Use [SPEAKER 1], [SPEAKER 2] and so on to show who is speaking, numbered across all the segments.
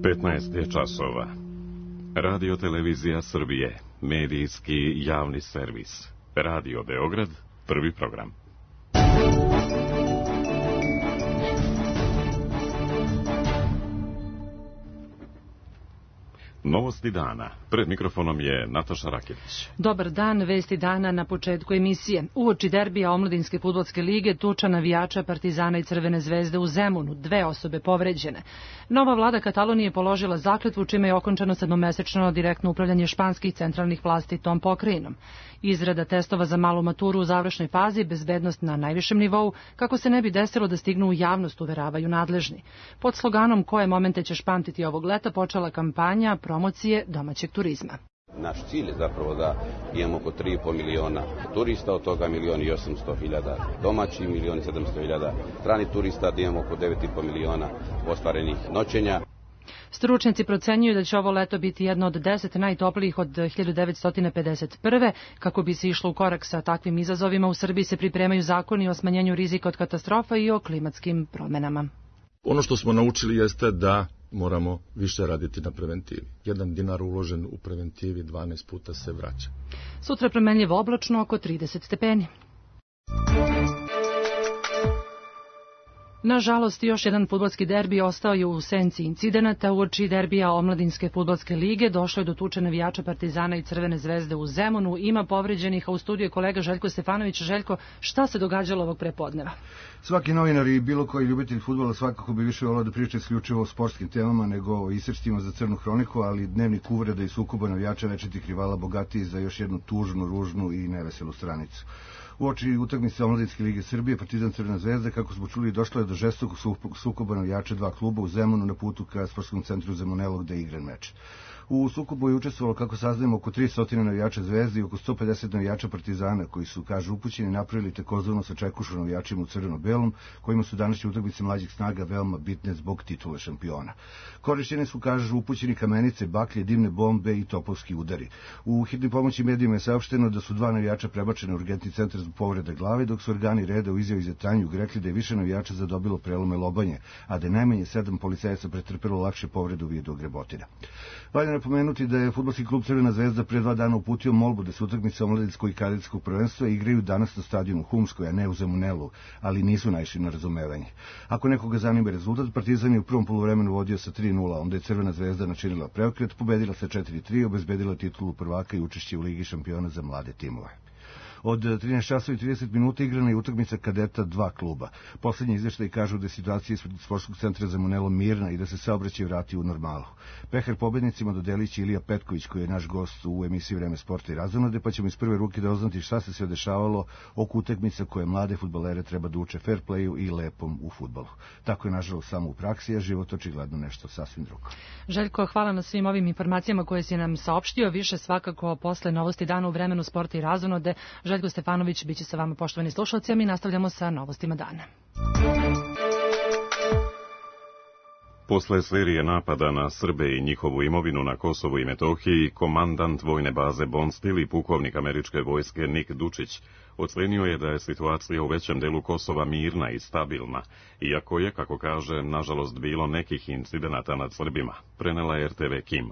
[SPEAKER 1] 15 je časova. Radio Televizija Srbije, medijski javni servis. Radio Beograd, prvi program. Novosti dana. Pred mikrofonom je Nataša Raketić.
[SPEAKER 2] Dobar dan, vesti dana na početku emisije. Uoči derbija Omladinske fudbalske lige tuča navijača Partizana i Crvene zvezde u Zemunu, 2 osobe povređene. Nova vlada Katalonije položila zakletvu čime je okončano 7-mesečno direktno upravljanje španskih centralnih vlasti tom pokrajinom. Izrada testova za malu maturu u završnoj fazi, bezbednost na najvišem nivou, kako se ne bi desilo da stignu u javnost, uveravaju nadležni. Pod sloganom "Koje momente ćeš pamtiti ovog leta" počela kampanja promocije domaćeg turizma.
[SPEAKER 3] Naš cilj je zapravo da imamo oko 3,5 miliona turista, od toga 1.800.000 domaći, 1.700.000 strani turista, da imamo oko 9,5 miliona ostvarenih noćenja.
[SPEAKER 2] Stručnjaci procenjuju da će ovo leto biti jedno od 10 najtoplijih od 1951. Kako bi se išlo u korak sa takvim izazovima, u Srbiji se pripremaju zakoni o smanjenju rizika od katastrofa i o klimatskim promenama.
[SPEAKER 4] Ono što smo naučili jeste da moramo više raditi na preventivi. 1 dinar uložen u preventivi 12 puta se vraća.
[SPEAKER 2] Sutra promenljivo oblačno, oko 30 stepeni. Nažalost, još jedan fudbalski derbi ostao je u senci incidenata. Uoči derbija Omladinske fudbalske lige došlo je do tuče navijača Partizana i Crvene zvezde u Zemunu. Ima povređenih, a u studiju je kolega Željko Stefanović. Željko, šta se događalo ovog prepodneva?
[SPEAKER 5] Svaki novinar i bilo koji ljubitelj fudbala svakako bi više volao da priča isključivo o sportskim temama nego o isrstima za crnu hroniku, ali dnevnik uvreda i sukoba navijača večitih rivala bogatiji za još jednu tužnu, ružnu i neveselu stranicu. Uoči utakmice Omladinske lige Srbije, Partizan Crvena zvezda, kako smo čuli, došlo je do žestokog sukoba navijača 2 kluba u Zemunu na putu ka sportskom centru Zemunelo gde je igran meč. U sukobu je učestvovalo, kako saznajemo, oko 300 navijača Zvezde i oko 150 navijača Partizana, koji su, kažu upućeni, napravili takozvano sačekušu navijačima u crveno-belom, kojima su današnje utakmice mlađih snaga veoma bitne zbog titule šampiona. Korišćene su, kažu upućeni, kamenice, baklje, dimne bombe i topovski udari. U hitnoj pomoći medijima je saopšteno da su 2 navijača prebačene u urgentni centar zbog povrede glave, dok su organi reda u izjavi za Tanju rekli da je više navijača zadobilo prelome lobanje, a da je najmanje 7 policajaca pretrpelo lakše povrede u vidu grebotina. Valja napomenuti da je fudbalski klub Crvena zvezda pre 2 dana uputio molbu da se utakmice omladinskog i kadetskog prvenstva igraju danas na stadionu Humskoj, a ne u Zemunelu, ali nisu naišli na razumevanje. Ako nekoga zanima rezultat, Partizan je u prvom poluvremenu vodio sa 3:0, onda je Crvena zvezda načinila preokret, pobedila sa 4:3, obezbedila titulu prvaka i učešće u Ligi šampiona za mlade timove. Od 13 časova i 30 minuta igrana je utakmica kadeta 2 kluba. Poslednji izveštaj kažu da je situacija ispred sportskog centra Zemunelo mirna i da se saobraćaj vrati u normalu. Pehar pobednicima dodelit će Ilija Petković, koji je naš gost u emisiji Vreme sporta i razonode, pa ćemo iz prve ruke da oznati šta se sve dešavalo oko utakmica koje mlade fudbalere treba da uče fair playu i lepom u fudbalu. Tako je nažalost samo u praksi, a život očigledno nešto sasvim drugo.
[SPEAKER 2] Željko, hvala na svim ovim informacijama koje si nam saopštio. Više svakako posle Novosti dana u Vremenu sporta i razonode. Željko Stefanović biće sa vama, poštovani slušalci, a mi nastavljamo sa novostima dana.
[SPEAKER 1] Posle serije napada na Srbe i njihovu imovinu na Kosovu i Metohiji, komandant vojne baze Bonstil i pukovnik američke vojske Nik Dučić ocenio je da je situacija u većem delu Kosova mirna i stabilna, iako je, kako kaže, nažalost bilo nekih incidenata nad Srbima, prenela je RTV Kim.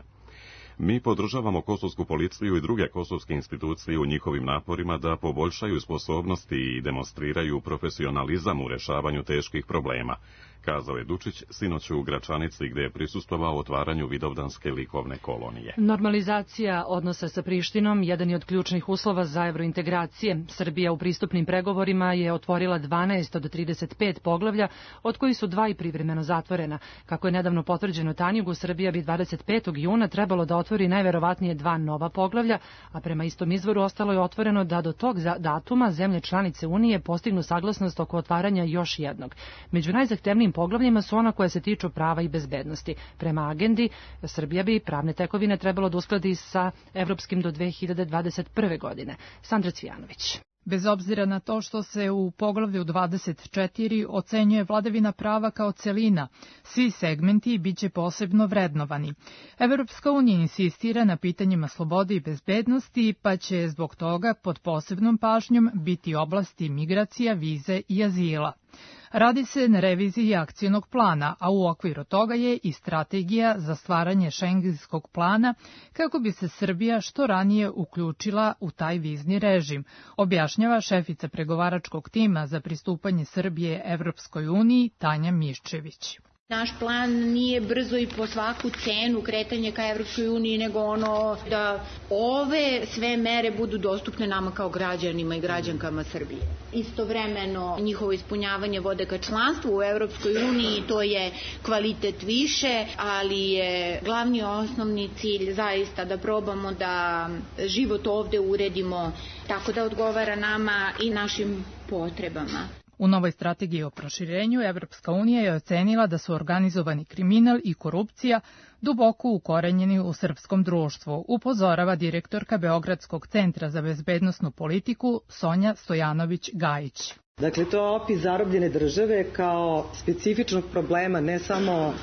[SPEAKER 1] Mi podržavamo kosovsku policiju i druge kosovske institucije u njihovim naporima da poboljšaju sposobnosti i demonstriraju profesionalizam u rešavanju teških problema, kazao je Dučić sinoć u Gračanici, gde je prisustvovao otvaranju Vidovdanske likovne kolonije.
[SPEAKER 2] Normalizacija odnosa sa Prištinom jedan je od ključnih uslova za evrointegracije. Srbija u pristupnim pregovorima je otvorila 12 od 35 poglavlja, od kojih su 2 i privremeno zatvorena. Kako je nedavno potvrđeno Tanjugu, Srbija bi 25. juna trebalo da otvori najverovatnije 2 nova poglavlja, a prema istom izvoru ostalo je otvoreno da do tog datuma zemlje članice Unije postignu saglasnost oko otvaranja još jednog. Među najzahtevnijim poglavljima su ona koja se tiču prava i bezbednosti. Prema agendi, Srbija bi pravne tekovine trebalo da uskladi sa evropskim do 2021. godine. Sandra Cvijanović.
[SPEAKER 6] Bez obzira na to što se u poglavlju 24 ocenjuje vladavina prava kao celina, svi segmenti biće posebno vrednovani. Evropska unija insistira na pitanjima slobode i bezbednosti, pa će zbog toga pod posebnom pažnjom biti oblasti migracija, vize i azila. Radi se na reviziji akcionog plana, a u okviru toga je i strategija za stvaranje šengenskog plana kako bi se Srbija što ranije uključila u taj vizni režim, objašnjava šefica pregovaračkog tima za pristupanje Srbije Evropskoj uniji Tanja Miščević.
[SPEAKER 7] Naš plan nije brzo i po svaku cenu kretanje ka Evropskoj uniji, nego da ove sve mere budu dostupne nama kao građanima i građankama Srbije. Istovremeno njihovo ispunjavanje vode ka članstvu u Evropskoj uniji, to je kvalitet više, ali je glavni osnovni cilj zaista da probamo da život ovde uredimo tako da odgovara nama i našim potrebama.
[SPEAKER 6] U novoj strategiji o proširenju Evropska unija je ocenila da su organizovani kriminal i korupcija duboko ukorenjeni u srpskom društvu, upozorava direktorka Beogradskog centra za bezbednosnu politiku Sonja Stojanović-Gajić.
[SPEAKER 8] Dakle, to je opis zarobljene države kao specifičnog problema ne samo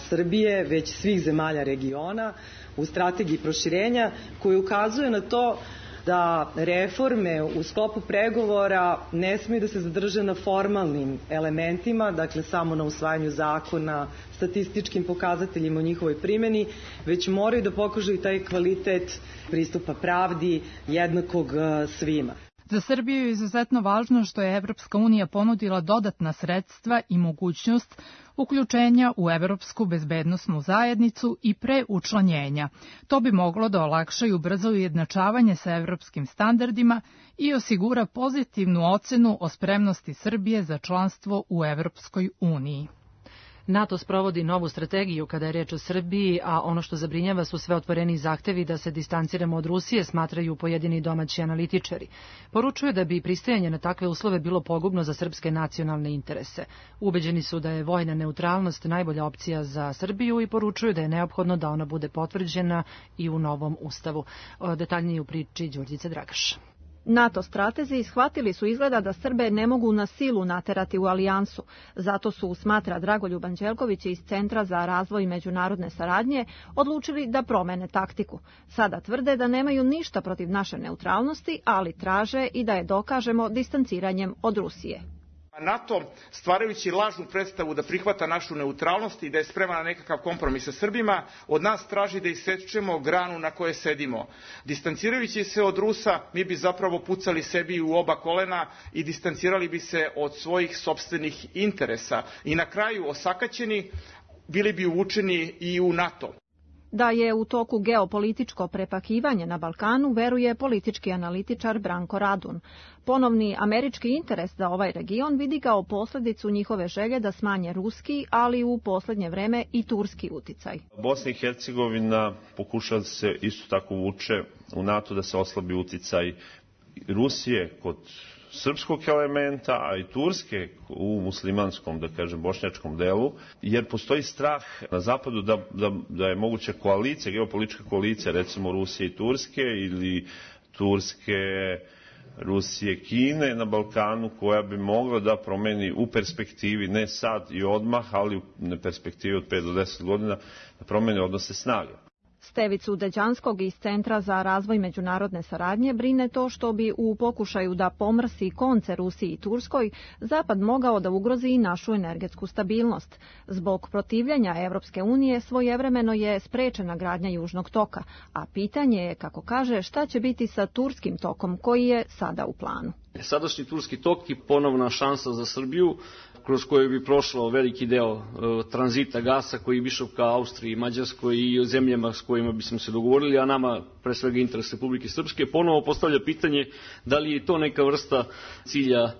[SPEAKER 8] Srbije, već svih zemalja regiona u strategiji proširenja koji ukazuje na to da reforme u sklopu pregovora ne smiju da se zadrže na formalnim elementima, dakle samo na usvajanju zakona, statističkim pokazateljima o njihovoj primjeni, već moraju da pokažu i taj kvalitet pristupa pravdi jednakog svima.
[SPEAKER 6] Za Srbiju je izuzetno važno što je Evropska unija ponudila dodatna sredstva i mogućnost uključenja u Evropsku bezbednosnu zajednicu i pre učlanjenja. To bi moglo da olakša i ubrza ujednačavanje sa evropskim standardima i osigura pozitivnu ocenu o spremnosti Srbije za članstvo u Evropskoj uniji.
[SPEAKER 2] NATO sprovodi novu strategiju kada je reč o Srbiji, a ono što zabrinjava su sve otvoreni zahtevi da se distanciramo od Rusije, smatraju pojedini domaći analitičari. Poručuju da bi pristajanje na takve uslove bilo pogubno za srpske nacionalne interese. Ubeđeni su da je vojna neutralnost najbolja opcija za Srbiju i poručuju da je neophodno da ona bude potvrđena i u novom ustavu. Detaljnije u priči Đurđice Dragaš.
[SPEAKER 9] NATO stratezi shvatili su izgleda da Srbe ne mogu na silu naterati u alijansu. Zato su, smatra Dragoljub Anđelković iz Centra za razvoj međunarodne saradnje, odlučili da promene taktiku. Sada tvrde da nemaju ništa protiv naše neutralnosti, ali traže i da je dokažemo distanciranjem od Rusije.
[SPEAKER 10] NATO, stvarajući lažnu predstavu da prihvata našu neutralnost i da je spreman na nekakav kompromis sa Srbima, od nas traži da isečemo granu na kojoj sedimo. Distancirajući se od Rusa, mi bi zapravo pucali sebi u oba kolena i distancirali bi se od svojih sopstvenih interesa. I na kraju, osakaćeni, bili bi uvučeni i u NATO.
[SPEAKER 9] Da je u toku geopolitičko prepakivanje na Balkanu, veruje politički analitičar Branko Radun. Ponovni američki interes za ovaj region vidi kao posljedicu njihove želje da smanje ruski, ali u posljednje vreme i turski uticaj.
[SPEAKER 11] Bosna i Hercegovina pokušava se isto tako vuče u NATO da se oslabi uticaj Rusije kod srpskog elementa, a i Turske u muslimanskom, da kažem, bošnjačkom delu, jer postoji strah na zapadu da je moguća koalicija, geopolitička koalicija, recimo Rusije i Turske ili Turske, Rusije, Kine na Balkanu, koja bi mogla da promeni u perspektivi, ne sad i odmah, ali u perspektivi od 5 do 10 godina, da promeni odnose snage.
[SPEAKER 9] Stevicu Deđanskog iz Centra za razvoj međunarodne saradnje brine to što bi u pokušaju da pomrsi konce Rusiji i Turskoj Zapad mogao da ugrozi i našu energetsku stabilnost. Zbog protivljenja Evropske unije svojevremeno je sprečena gradnja Južnog toka, a pitanje je, kako kaže, šta će biti sa Turskim tokom koji je sada u planu.
[SPEAKER 12] Sadašnji Turski tok je ponovna šansa za Srbiju, kroz koju bi prošlo veliki deo tranzita gasa koji bi išao ka Austriji, Mađarskoj i zemljama s kojima bismo se dogovorili, a nama pre svega interes Republike Srpske. Ponovo postavlja pitanje da li je to neka vrsta cilja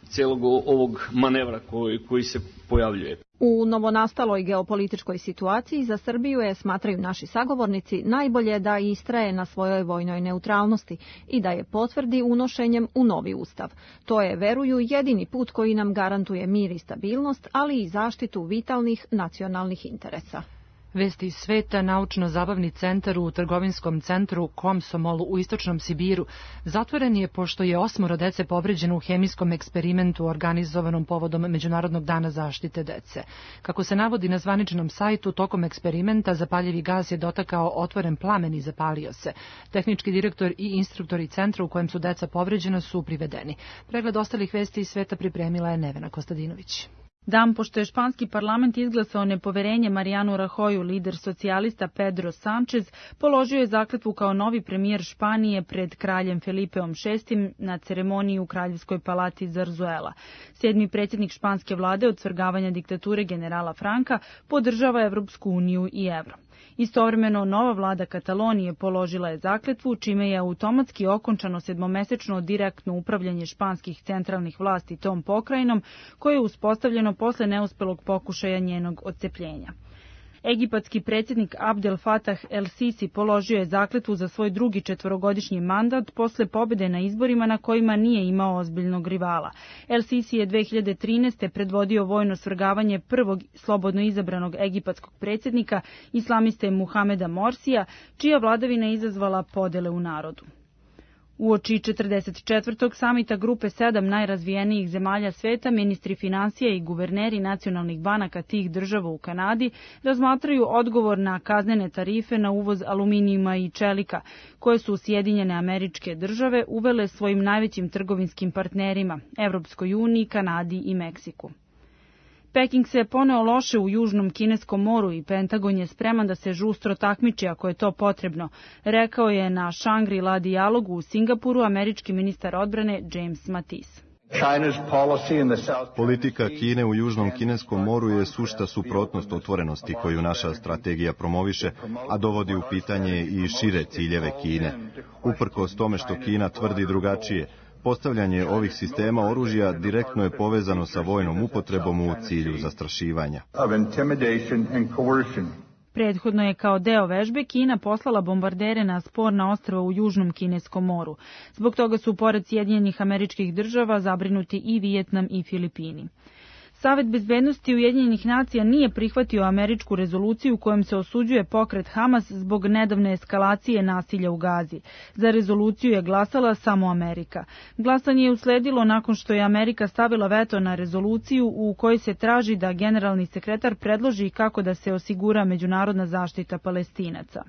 [SPEAKER 12] celog ovog manevra koji se pojavljuje.
[SPEAKER 9] U novonastaloj geopolitičkoj situaciji za Srbiju je, smatraju naši sagovornici, najbolje da istraje na svojoj vojnoj neutralnosti i da je potvrdi unošenjem u novi ustav. To je, veruju, jedini put koji nam garantuje mir i stabilnost, ali i zaštitu vitalnih nacionalnih interesa.
[SPEAKER 2] Vesti iz sveta, naučno-zabavni centar u trgovinskom centru Komsomol u istočnom Sibiru zatvoren je pošto je 8 dece povređeno u hemijskom eksperimentu organizovanom povodom Međunarodnog dana zaštite dece. Kako se navodi na zvaničnom sajtu, tokom eksperimenta zapaljivi gas je dotakao otvoren plamen i zapalio se. Tehnički direktor i instruktori centra u kojem su deca povređena su privedeni. Pregled ostalih vesti iz sveta pripremila je Nevena Kostadinović.
[SPEAKER 13] Dan pošto je španski parlament izglasao nepoverenje Marianu Rajoyu, lider socijalista Pedro Sánchez položio je zakletvu kao novi premijer Španije pred kraljem Felipeom VI na ceremoniji u Kraljevskoj palati Zarzuela. 7. predsjednik španske vlade od svrgavanja diktature generala Franka podržava Evropsku uniju i evro. Istovremeno, nova vlada Katalonije položila je zakletvu, čime je automatski okončano 7-mesečno direktno upravljanje španskih centralnih vlasti tom pokrajinom, koje je uspostavljeno posle neuspelog pokušaja njenog odcepljenja. Egipatski predsjednik Abdel Fattah el-Sisi položio je zakletvu za svoj drugi 4-godišnji mandat posle pobjede na izborima na kojima nije imao ozbiljnog rivala. El-Sisi je 2013. predvodio vojno svrgavanje prvog slobodno izabranog egipatskog predsjednika, islamiste Muhameda Morsija, čija vladavina izazvala podele u narodu. Uoči 44. samita grupe 7 najrazvijenijih zemalja sveta, ministri financija i guverneri nacionalnih banaka tih država u Kanadi razmatraju odgovor na kaznene tarife na uvoz aluminijuma i čelika, koje su Sjedinjene Američke Države uvele svojim najvećim trgovinskim partnerima, Evropskoj uniji, Kanadi i Meksiku. Peking se je poneo loše u Južnom Kineskom moru i Pentagon je spreman da se žustro takmiči ako je to potrebno, rekao je na Shangri-La dijalogu u Singapuru američki ministar odbrane James Mattis.
[SPEAKER 14] Politika Kine u Južnom Kineskom moru je sušta suprotnost otvorenosti koju naša strategija promoviše, a dovodi u pitanje i šire ciljeve Kine. Uprkos tome što Kina tvrdi drugačije, postavljanje ovih sistema oružja direktno je povezano sa vojnom upotrebom u cilju zastrašivanja.
[SPEAKER 13] Prethodno je kao deo vežbe Kina poslala bombardere na sporna ostrva u Južnom Kineskom moru. Zbog toga su pored Sjedinjenih Američkih Država zabrinuti i Vijetnam i Filipini. Savet bezbednosti Ujedinjenih nacija nije prihvatio američku rezoluciju kojom se osuđuje pokret Hamas zbog nedavne eskalacije nasilja u Gazi. Za rezoluciju je glasala samo Amerika. Glasanje je usledilo nakon što je Amerika stavila veto na rezoluciju u kojoj se traži da generalni sekretar predloži kako da se osigura međunarodna zaštita Palestinaca.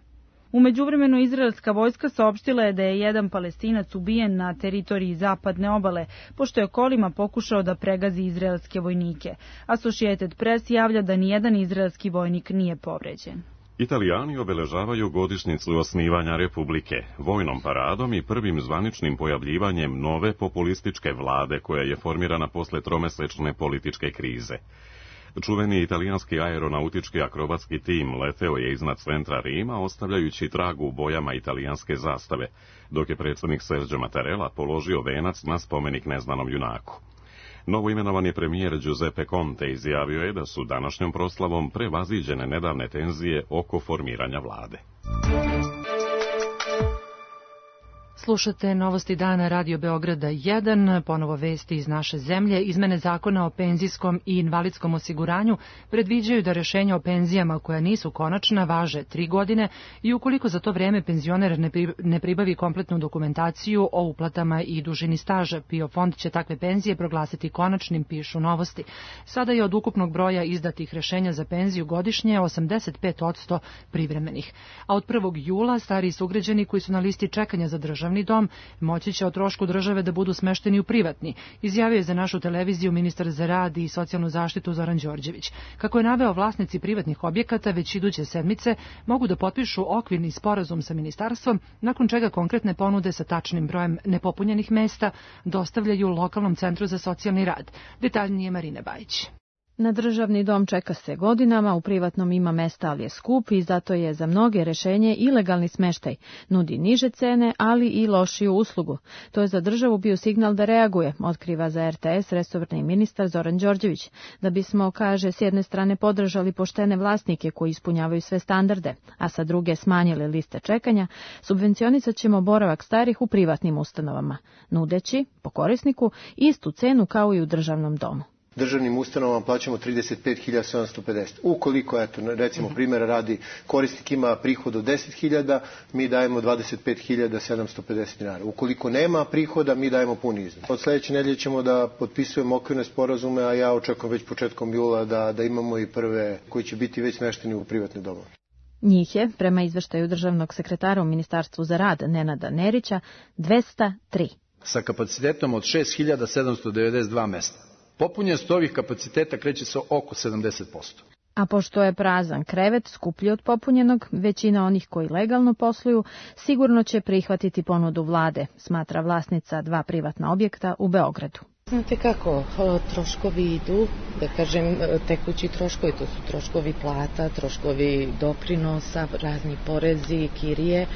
[SPEAKER 13] U međuvremenu izraelska vojska saopštila je da je jedan Palestinac ubijen na teritoriji zapadne obale, pošto je kolima pokušao da pregazi izraelske vojnike. Associated Press javlja da nijedan izraelski vojnik nije povređen.
[SPEAKER 1] Italijani obeležavaju godišnjicu osnivanja Republike, vojnom paradom i prvim zvaničnim pojavljivanjem nove populističke vlade koja je formirana posle tromesečne političke krize. Čuveni italijanski aeronautički akrobatski tim leteo je iznad centra Rima, ostavljajući trag u bojama italijanske zastave, dok je predsjednik Sergio Mattarella položio venac na spomenik neznanom junaku. Novoimenovani premijer Giuseppe Conte izjavio je da su današnjom proslavom prevaziđene nedavne tenzije oko formiranja vlade.
[SPEAKER 2] Slušate Novosti dana Radio Beograda 1, ponovo vesti iz naše zemlje. Izmene zakona o penzijskom i invalidskom osiguranju predviđaju da rješenja o penzijama koja nisu konačna važe 3 godine i ukoliko za to vrijeme penzioner ne pribavi kompletnu dokumentaciju o uplatama i dužini staža, PIO fond će takve penzije proglasiti konačnim, pišu Novosti. Sada je od ukupnog broja izdatih rješenja za penziju godišnje 85% privremenih. A od 1. jula stariji sugrađani koji su na listi čekanja za državni dom moći će o trošku države da budu smešteni u privatni, izjavio je za našu televiziju ministar za rad i socijalnu zaštitu Zoran Đorđević. Kako je naveo, vlasnici privatnih objekata već iduće sedmice mogu da potpišu okvirni sporazum sa ministarstvom, nakon čega konkretne ponude sa tačnim brojem nepopunjenih mesta dostavljaju lokalnom centru za socijalni rad. Detaljnije Marine Bajić.
[SPEAKER 9] Na državni dom čeka se godinama, u privatnom ima mesta, ali je skup i zato je za mnoge rešenje ilegalni smeštaj. Nudi niže cene, ali i lošiju uslugu. To je za državu bio signal da reaguje, otkriva za RTS resorni ministar Zoran Đorđević. Da bismo, kaže, s jedne strane podržali poštene vlasnike koji ispunjavaju sve standarde, a sa druge smanjili liste čekanja, subvencionisat ćemo boravak starih u privatnim ustanovama, nudeći, po korisniku, istu cenu kao i u državnom domu.
[SPEAKER 15] Državnim ustanovama plaćamo 35.750. Ukoliko, eto, recimo primjera radi, korisnik ima prihod od 10.000, mi dajemo 25.750 dinara. Ukoliko nema prihoda, mi dajemo puni iznos. Od sljedeće nedelje ćemo da potpisujemo okvirne sporazume, a ja očekujem već početkom jula da imamo i prve koji će biti već smešteni u privatne domove.
[SPEAKER 9] Njih je, prema izveštaju državnog sekretara u Ministarstvu za rad Nenada Nerića, 203.
[SPEAKER 16] Sa kapacitetom od 6.792 mesta. Popunjenost ovih kapaciteta kreće se oko 70%.
[SPEAKER 17] A pošto je prazan krevet skuplji od popunjenog, većina onih koji legalno posluju sigurno će prihvatiti ponudu vlade, smatra vlasnica 2 privatna objekta u Beogradu.
[SPEAKER 18] Znate kako, troškovi idu, da kažem, tekući troškovi, to su troškovi plata, troškovi doprinosa, razni porezi, kirije.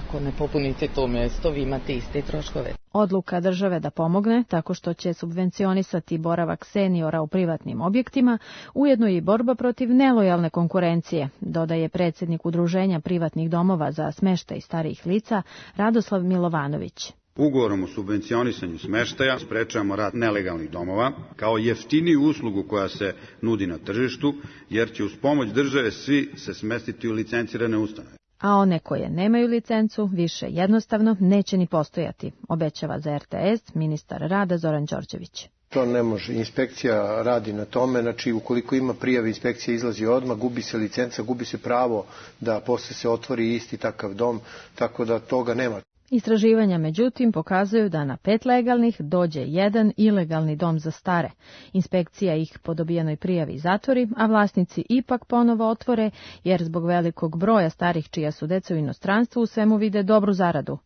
[SPEAKER 18] Ako ne popunite to mjesto, vi imate iste troškove.
[SPEAKER 17] Odluka države da pomogne tako što će subvencionisati boravak seniora u privatnim objektima, ujedno i borba protiv nelojalne konkurencije, dodaje predsjednik Udruženja privatnih domova za smeštaj starijih lica Radoslav Milovanović.
[SPEAKER 19] Ugovorom o subvencionisanju smeštaja sprečavamo rad nelegalnih domova kao jeftiniju uslugu koja se nudi na tržištu, jer će uz pomoć države svi se smestiti u licencirane ustanove.
[SPEAKER 17] A one koje nemaju licencu više jednostavno neće ni postojati, obećava za RTS ministar rada Zoran Đorđević.
[SPEAKER 15] To ne može. Inspekcija radi na tome, znači ukoliko ima prijave, inspekcija izlazi odmah, gubi se licenca, gubi se pravo da posle se otvori isti takav dom, tako da toga nema.
[SPEAKER 17] Istraživanja, međutim, pokazuju da na 5 legalnih dođe 1 ilegalni dom za stare. Inspekcija ih po dobijenoj prijavi zatvori, a vlasnici ipak ponovo otvore, jer zbog velikog broja starih čija su deca u inostranstvu u svemu vide dobru zaradu.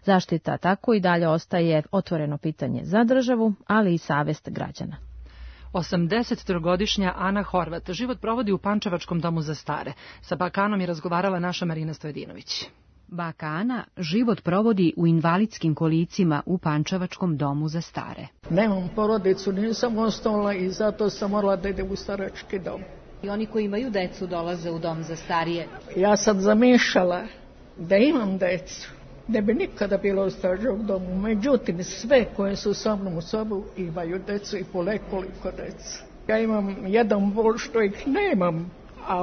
[SPEAKER 17] Zaštita tako i dalje ostaje otvoreno pitanje za državu, ali i savest građana.
[SPEAKER 2] 83-godišnja Ana Horvat život provodi u Pančevačkom domu za stare. Sa bakanom je razgovarala naša Marina Stojedinović.
[SPEAKER 20] Baka Ana život provodi u invalidskim kolicima u Pančevačkom domu za stare.
[SPEAKER 21] Nemam porodicu, nisam ostala i zato sam morala da idem u starački dom.
[SPEAKER 22] I oni koji imaju decu dolaze u dom za starije?
[SPEAKER 21] Ja sam zamišljala da imam decu, ne bi nikada bilo u staračkom domu. Međutim, sve koje su sa mnom u sobu imaju decu i po nekoliko deca. Ja imam jedan bol što ih nemam. A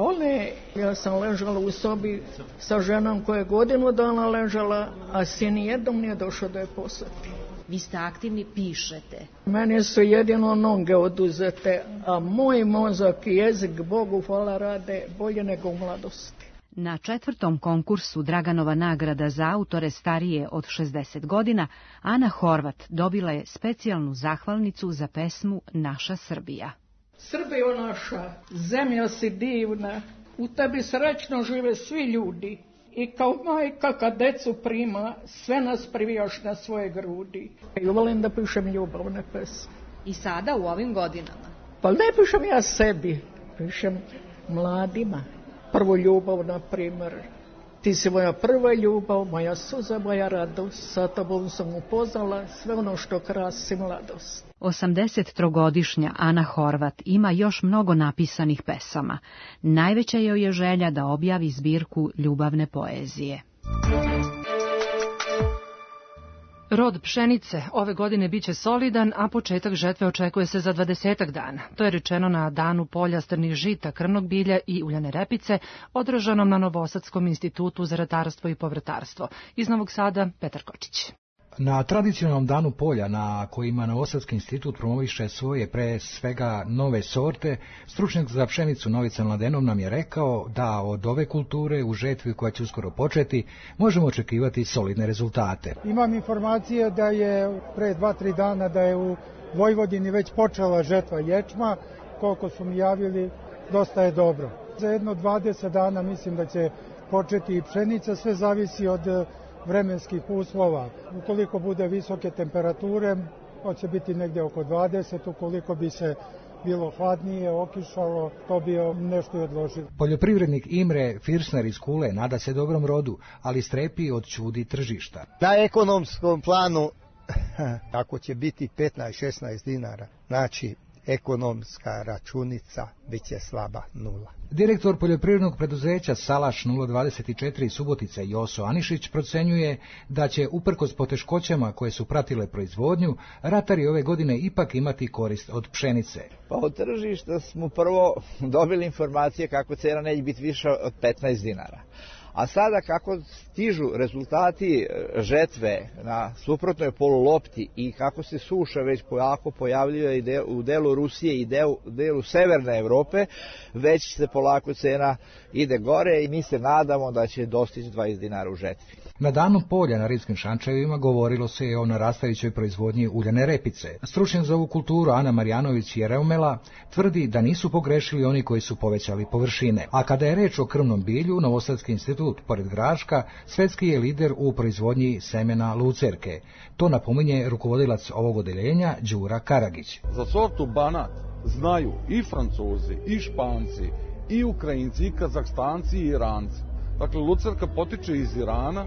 [SPEAKER 21] ja sam ležala u sobi sa ženom koja je godinu dana ležala, a sin jednom nije došao da je posjeti.
[SPEAKER 22] Vi ste aktivni, pišete.
[SPEAKER 21] Meni su jedino noge oduzete, a moj mozak i jezik, Bogu hvala, rade bolje nego u mladosti.
[SPEAKER 20] Na 4. konkursu Draganova nagrada za autore starije od 60 godina, Ana Horvat dobila je specijalnu zahvalnicu za pesmu Naša Srbija.
[SPEAKER 21] Srbijo naša, zemlja si divna, u tebi srećno žive svi ljudi i kao majka kad decu prima, sve nas privijaš na svoje grudi. I volim da pišem ljubavne pesme.
[SPEAKER 22] I sada u ovim godinama?
[SPEAKER 21] Pa ne pišem ja sebi, pišem mladima. Prvu ljubav, na primjer. Ti si moja prva ljubav, moja suza, moja radost, sa tobom sam upoznala sve ono što krasi mladost.
[SPEAKER 20] 83-godišnja Ana Horvat ima još mnogo napisanih pesama. Najveća joj je želja da objavi zbirku ljubavne poezije.
[SPEAKER 2] Rod pšenice ove godine biće solidan, a početak žetve očekuje se za 20 dana. To je rečeno na danu polja strnih žita, krmnog bilja i uljane repice, održanom na Novosadskom institutu za ratarstvo i povrtarstvo. Iz Novog Sada, Petar Kočić.
[SPEAKER 23] Na tradicionalnom danu polja, na kojima Novosadski institut promoviše svoje pre svega nove sorte, stručnjak za pšenicu Novica Mladenov nam je rekao da od ove kulture u žetvi koja će uskoro početi možemo očekivati solidne rezultate.
[SPEAKER 24] Imam informacije da je pre 2-3 dana da je u Vojvodini već počela žetva ječma, koliko su mi javili, dosta je dobro. Za jedno 20 dana mislim da će početi i pšenica, sve zavisi od vremenskih uslova. Ukoliko bude visoke temperature, hoće biti negdje oko 20, ukoliko bi se bilo hladnije, okišalo, to bi nešto i odložilo.
[SPEAKER 23] Poljoprivrednik Imre Firsner iz Kule nada se dobrom rodu, ali strepi od čudi tržišta.
[SPEAKER 25] Na ekonomskom planu, ako će biti 15-16 dinara, znači ekonomska računica biće slaba nula.
[SPEAKER 23] Direktor poljoprivrednog preduzeća Salaš 024 Subotica Joso Anišić procenjuje da će uprkos poteškoćama koje su pratile proizvodnju, ratari ove godine ipak imati korist od pšenice.
[SPEAKER 26] Pa od tržišta smo prvo dobili informacije kako cena neće biti više od 15 dinara.
[SPEAKER 3] A sada kako stižu rezultati žetve na suprotnoj polulopti i kako se suša već polako pojavljuje i u delu Rusije i delu severne Evrope, već se polako cena ide gore i mi se nadamo da će dostići 20 dinara u žetvi.
[SPEAKER 23] Na danu polja na Rimskim Šančevima govorilo se i o narastajućoj proizvodnji uljane repice. Stručnjak za ovu kulturu Ana Marjanović Jereumela tvrdi da nisu pogrešili oni koji su povećali površine. A kada je reč o krvnom bilju, Novosadski institut, pored Graška, svetski je lider u proizvodnji semena lucerke. To napominje rukovodilac ovog odeljenja Đura Karagić.
[SPEAKER 4] Za sortu Banat znaju i Francuzi, i Španci, i Ukrajinci, i Kazahstanci, i Iranci. Dakle, lucerka potiče iz Irana,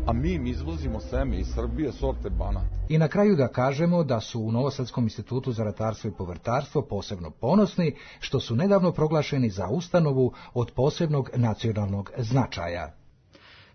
[SPEAKER 4] a mi im izvozimo seme iz Srbije sorte Banat.
[SPEAKER 23] I na kraju da kažemo da su u Novosadskom institutu za ratarstvo i povrtarstvo posebno ponosni što su nedavno proglašeni za ustanovu od posebnog nacionalnog značaja.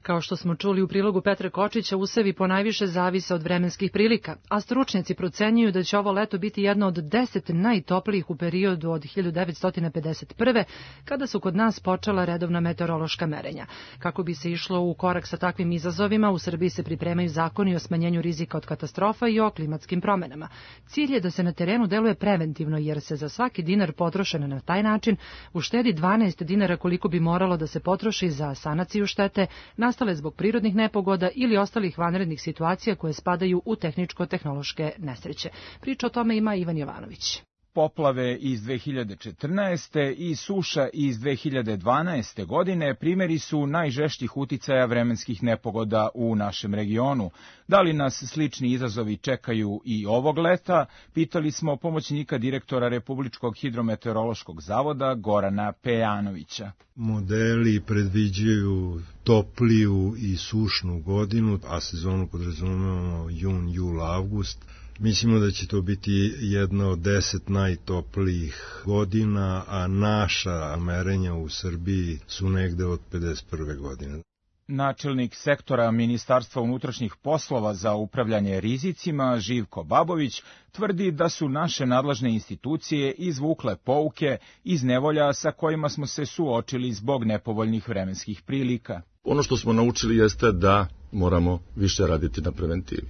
[SPEAKER 2] Kao što smo čuli u prilogu Petra Kočića, usevi ponajviše zavise od vremenskih prilika, a stručnjaci procenjuju da će ovo leto biti jedno od 10 najtoplijih u periodu od 1951. kada su kod nas počela redovna meteorološka merenja. Kako bi se išlo u korak sa takvim izazovima, u Srbiji se pripremaju zakoni o smanjenju rizika od katastrofa i o klimatskim promenama. Cilj je da se na terenu deluje preventivno, jer se za svaki dinar potrošen na taj način uštedi 12 dinara koliko bi moralo da se potroši za sanaciju štete nastale zbog prirodnih nepogoda ili ostalih vanrednih situacija koje spadaju u tehničko-tehnološke nesreće. Priča o tome ima Ivan Jovanović.
[SPEAKER 5] Poplave iz 2014. i suša iz 2012. godine primjeri su najžešćih uticaja vremenskih nepogoda u našem regionu. Da li nas slični izazovi čekaju i ovog leta? Pitali smo pomoćnika direktora Republičkog hidrometeorološkog zavoda Gorana Pejanovića.
[SPEAKER 7] Modeli predviđaju topliju i sušnu godinu, a sezonu podrazumevamo jun, jul, avgust. Mislimo da će to biti jedna od 10 najtoplijih godina, a naša merenja u Srbiji su negde od 51. godine.
[SPEAKER 5] Načelnik sektora Ministarstva unutrašnjih poslova za upravljanje rizicima, Živko Babović, tvrdi da su naše nadležne institucije izvukle pouke iz nevolja sa kojima smo se suočili zbog nepovoljnih vremenskih prilika.
[SPEAKER 8] Ono što smo naučili jeste da moramo više raditi na preventivi.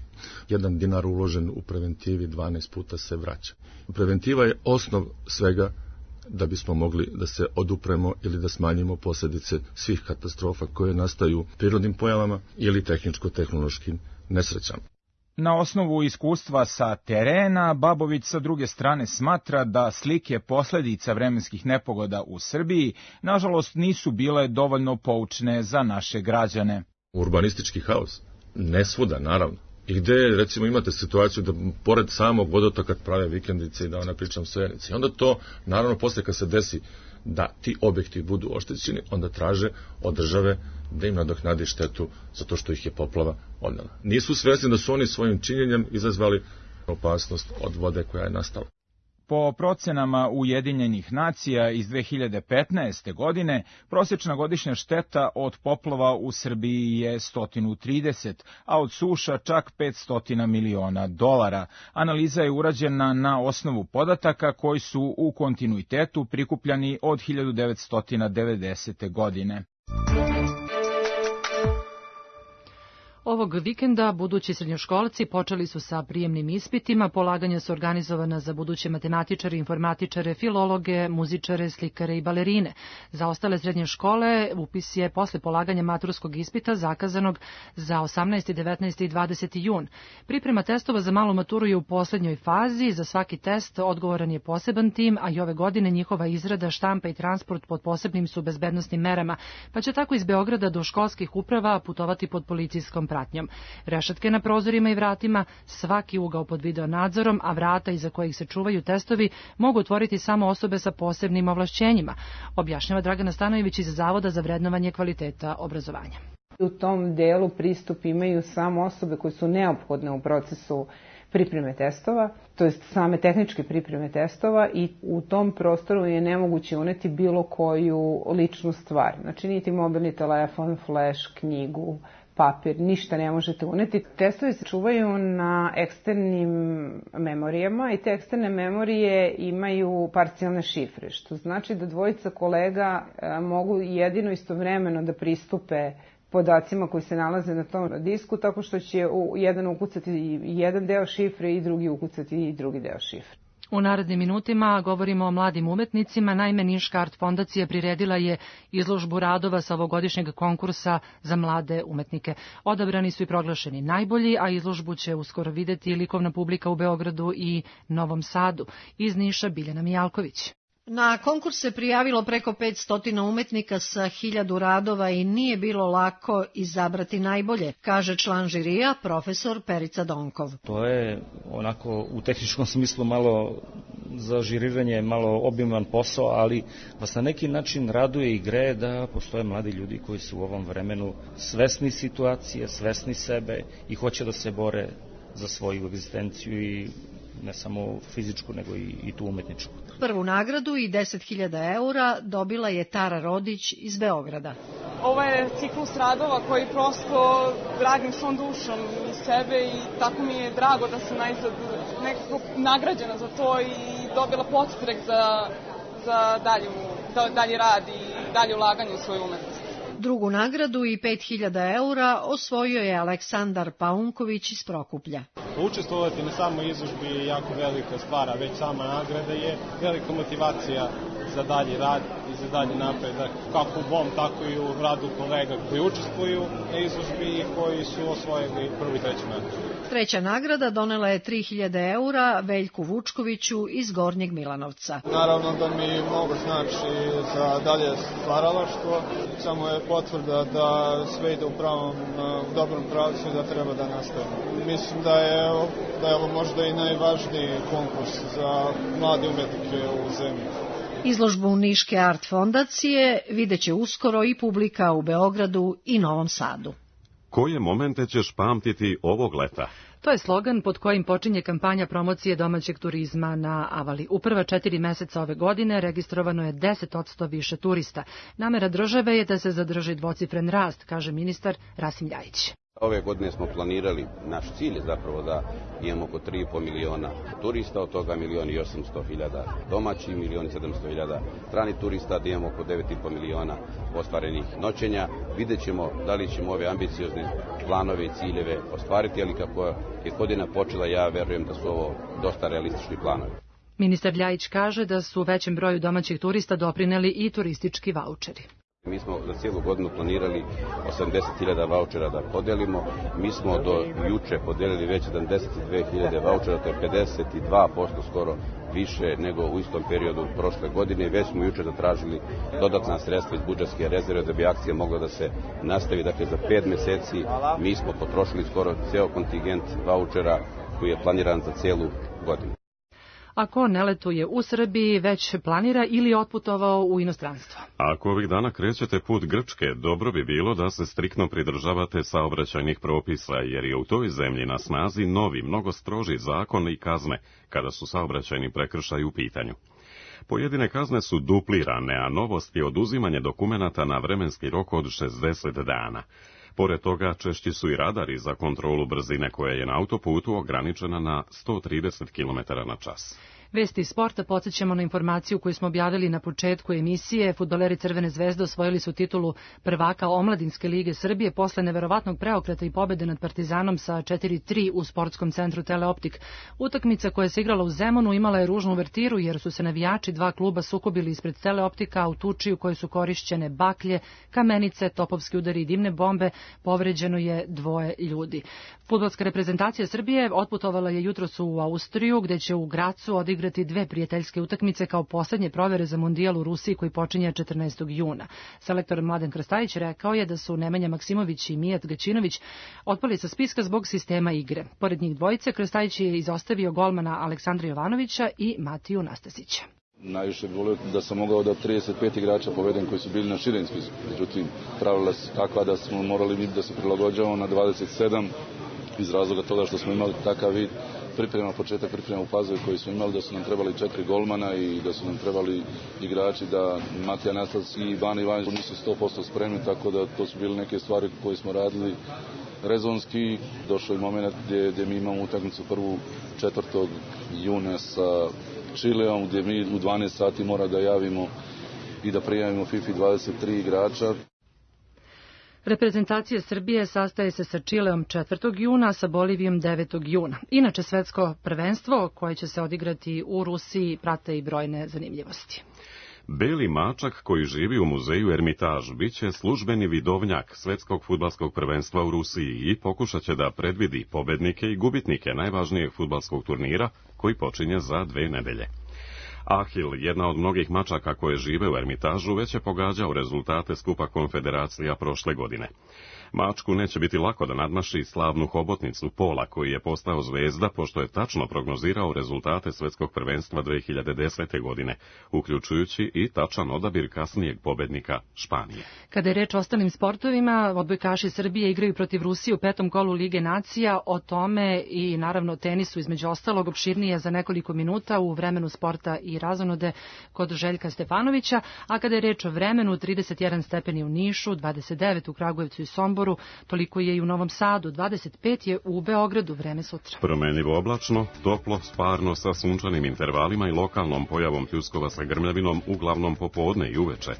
[SPEAKER 8] 1 dinar uložen u preventivi 12 puta se vraća. Preventiva je osnov svega da bismo mogli da se odupremo ili da smanjimo posljedice svih katastrofa koje nastaju prirodnim pojavama ili tehničko-tehnološkim nesrećama.
[SPEAKER 5] Na osnovu iskustva sa terena, Babović sa druge strane smatra da slike posljedica vremenskih nepogoda u Srbiji nažalost nisu bile dovoljno poučne za naše građane.
[SPEAKER 8] Urbanistički haos, ne svuda naravno. I gde, recimo, imate situaciju da pored samog vodotoka prave vikendice i da ne pričam sojenice. I onda to, naravno, posle kad se desi da ti objekti budu oštećeni, onda traže od države da im nadoknadi štetu zato što ih je poplava odnela. Nisu svesni da su oni svojim činjenjem izazvali opasnost od vode koja je nastala.
[SPEAKER 5] Po procenama Ujedinjenih nacija iz 2015. godine, prosječna godišnja šteta od poplava u Srbiji je 130, a od suša čak $500 miliona. Analiza je urađena na osnovu podataka koji su u kontinuitetu prikupljani od 1990. godine.
[SPEAKER 2] Ovog vikenda budući srednjoškolci počeli su sa prijemnim ispitima, polaganja su organizovana za buduće matematičare, informatičare, filologe, muzičare, slikare i balerine. Za ostale srednje škole upis je posle polaganja maturskog ispita zakazanog za 18. 19. i 20. jun. Priprema testova za malu maturu je u poslednjoj fazi, za svaki test odgovoran je poseban tim, a i ove godine njihova izrada, štampa i transport pod posebnim su bezbednosnim merama, pa će tako iz Beograda do školskih uprava putovati pod policijskom pratnjom. Rešetke na prozorima i vratima, svaki ugao pod video nadzorom, a vrata iza kojih se čuvaju testovi mogu otvoriti samo osobe sa posebnim ovlašćenjima, objašnjava Dragana Stanojević iz Zavoda za vrednovanje kvaliteta obrazovanja.
[SPEAKER 26] U tom delu pristup imaju samo osobe koje su neophodne u procesu pripreme testova, to jest same tehničke pripreme testova, i u tom prostoru je nemoguće uneti bilo koju ličnu stvar. Znači niti mobilni telefon, flash, knjigu, papir, ništa ne možete uneti. Testovi se čuvaju na eksternim memorijama i te eksterne memorije imaju parcijalne šifre, što znači da dvojica kolega mogu jedino istovremeno da pristupe podacima koji se nalaze na tom disku, tako što će jedan ukucati jedan deo šifre i drugi ukucati i drugi deo šifre.
[SPEAKER 2] U narednim minutima govorimo o mladim umetnicima. Naime, Niška Art fondacija priredila je izložbu radova sa ovogodišnjeg konkursa za mlade umetnike. Odabrani su i proglašeni najbolji, a izložbu će uskoro videti likovna publika u Beogradu i Novom Sadu. Iz Niša Biljana Mijalković.
[SPEAKER 6] Na konkurs se prijavilo preko 500 umetnika sa 1000 radova i nije bilo lako izabrati najbolje, kaže član žirija, profesor Perica Donkov.
[SPEAKER 10] To je onako u tehničkom smislu malo za žiriranje, malo obiman posao, ali vas na neki način raduje i greje da postoje mladi ljudi koji su u ovom vremenu svesni situacije, svesni sebe i hoće da se bore za svoju egzistenciju i ne samo fizičku, nego i tu umetničku.
[SPEAKER 6] Prvu nagradu i 10.000 eura dobila je Tara Rodić iz Beograda.
[SPEAKER 11] Ovo je ciklus radova koji prosto radim svom dušom iz sebe i tako mi je drago da sam najzad nekako nagrađena za to i dobila podstrek za dalji rad i dalje ulaganje u svoju umetnost.
[SPEAKER 6] Drugu nagradu i 5.000 eura osvojio je Aleksandar Paunković iz Prokuplja.
[SPEAKER 12] Učestvovati na samoj izložbi je jako velika stvar, a već sama nagrada je velika motivacija za dalji rad i za dalji napredak, kako u mom, tako i u radu kolega koji učestvuju na izložbi i koji su osvojili prvu i treću nagradu.
[SPEAKER 6] Treća nagrada donela je 3.000 eura Veljku Vučkoviću iz Gornjeg Milanovca.
[SPEAKER 12] Naravno da mi mnogo znači za dalje stvaralaštvo, samo je potvrda da sve ide u dobrom pravcu i da treba da nastavimo. Mislim da je ovo možda i najvažniji konkurs za mlade umetnike u zemlji.
[SPEAKER 6] Izložbu Niške Art fondacije videće uskoro i publika u Beogradu i Novom Sadu.
[SPEAKER 1] Koje momente ćeš pamtiti ovog leta?
[SPEAKER 2] To je slogan pod kojim počinje kampanja promocije domaćeg turizma na Avali. U prva 4 meseca ove godine registrovano je 10% više turista. Namera države je da se zadrži dvocifren rast, kaže ministar Rasim Ljajić.
[SPEAKER 13] Ove godine smo planirali, naš cilj je zapravo da imamo oko 3,5 miliona turista, od toga 1.800.000 domaći, 1.700.000 strani turista, da imamo oko 9,5 miliona ostvarenih noćenja. Vidjet ćemo da li ćemo ove ambiciozne planove i ciljeve ostvariti, ali kako je godina počela, ja verujem da su ovo dosta realistični planovi.
[SPEAKER 2] Ministar Ljajić kaže da su većem broju domaćih turista doprineli i turistički vaučeri.
[SPEAKER 13] Mi smo za cijelu godinu planirali 80.000 vaučera da podelimo. Mi smo do juče podelili već 72.000 vaučera, to je 52% skoro više nego u istom periodu prošle godine. Već smo juče zatražili dodatna sredstva iz budžetske rezerve da bi akcija mogla da se nastavi. Dakle, za 5 meseci mi smo potrošili skoro ceo kontingent vaučera koji je planiran za cijelu godinu.
[SPEAKER 2] Ako ne letuje u Srbiji, već planira ili otputovao u inostranstvo.
[SPEAKER 1] Ako ovih dana krećete put Grčke, dobro bi bilo da se striktno pridržavate saobraćajnih propisa, jer je u toj zemlji na snazi novi, mnogo stroži zakon i kazne, kada su saobraćajni prekršaji u pitanju. Pojedine kazne su duplirane, a novost je oduzimanje dokumenata na vremenski rok od 60 dana. Pored toga, češći su i radari za kontrolu brzine koja je na autoputu ograničena na 130 km na čas.
[SPEAKER 2] Vesti iz sporta podsjećamo na informaciju koju smo objavili na početku emisije. Fudbaleri Crvene zvezde osvojili su titulu prvaka Omladinske lige Srbije posle neverovatnog preokreta i pobede nad Partizanom sa 4-3 u sportskom centru Teleoptik. Utakmica koja se igrala u Zemunu imala je ružnu uvertiru jer su se navijači dva kluba sukobili ispred Teleoptika u tuči u kojoj su korišćene baklje, kamenice, topovski udari i dimne bombe. Povređeno je 2 ljudi. Fudbalska reprezentacija Srbije otputovala je jutros u Austriju, gde će u Gracu odigrati 2 prijateljske utakmice kao poslednje provere za Mundijal u Rusiji koji počinje 14. juna. Selektor Mladen Krstajić rekao je da su Nemanja Maksimović i Mijat Gaćinović otpali sa spiska zbog sistema igre. Pored njih dvojice, Krstajić je izostavio golmana Aleksandra Jovanovića i Matiju Nastasića.
[SPEAKER 14] Najviše bi volio da sam mogao da 35 igrača povedem koji su bili na širem spisku. Međutim, pravila su takva da smo morali da se prilagođavamo na 27 iz razloga toga što smo imali takav vid početak priprema u Pazovi koji smo imali, da su nam trebali 4 golmana i da su nam trebali igrači, da Matija Nastac i Ivana Ivanić nisu 100% spremni, tako da to su bile neke stvari koje smo radili rezonski. Došao je moment gdje mi imamo utakmicu prvu 4. juna sa Čileom, gdje mi u 12 sati mora da javimo i da prijavimo FIFA 23 igrača.
[SPEAKER 2] Reprezentacija Srbije sastaje se sa Čileom 4. juna, sa Bolivijom 9. juna. Inače, svetsko prvenstvo koje će se odigrati u Rusiji prate i brojne zanimljivosti.
[SPEAKER 1] Beli mačak koji živi u muzeju Ermitaž biće službeni vidovnjak svetskog fudbalskog prvenstva u Rusiji i pokušat će da predvidi pobednike i gubitnike najvažnijeg fudbalskog turnira koji počinje za 2 nedelje. Ahil, jedna od mnogih mačaka koje žive u Ermitažu, već je pogađao rezultate skupa konfederacija prošle godine. Mačku neće biti lako da nadmaši slavnu hobotnicu Pola, koji je postao zvezda pošto je tačno prognozirao rezultate svetskog prvenstva 2010. godine, uključujući i tačan odabir kasnijeg pobednika Španije.
[SPEAKER 2] Kada je reč o ostalim sportovima, odbojkaši Srbije igraju protiv Rusije u 5. kolu Lige nacija, o tome i naravno tenisu između ostalog opširnije za nekoliko minuta u vremenu sporta i razonode kod Željka Stefanovića, a kada je reč o vremenu, 31 stepeni u Nišu, 29 u Kragujevcu i Somboru, toliko je i u Novom Sadu, 25 je u Beogradu, vreme sutra.
[SPEAKER 1] Promenljivo oblačno, toplo, sparno sa sunčanim intervalima i lokalnom pojavom pljuskova sa grmljavinom, uglavnom popodne i uveče.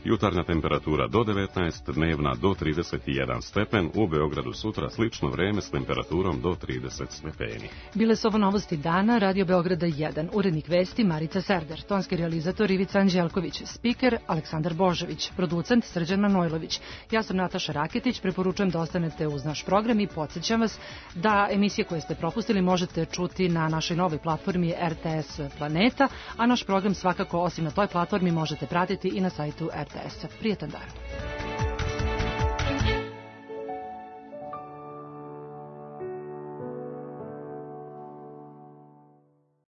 [SPEAKER 1] Jutarnja temperatura do 19, dnevna do 31 stepen, u Beogradu sutra slično vreme s temperaturom do 30 stepeni.
[SPEAKER 2] Bile su ovo novosti dana, Radio Beograda 1, urednik vesti Marica Serder, tonski realizator Ivica Anđelković, spiker Aleksandar Božović, producent Srđan Manojlović. Ja sam Nataša Raketić, preporučujem da ostanete uz naš program i podsjećam vas da emisije koje ste propustili možete čuti na našoj novoj platformi RTS Planeta, a naš program svakako osim na toj platformi možete pratiti i na sajtu RTS-a. Prijetan dan.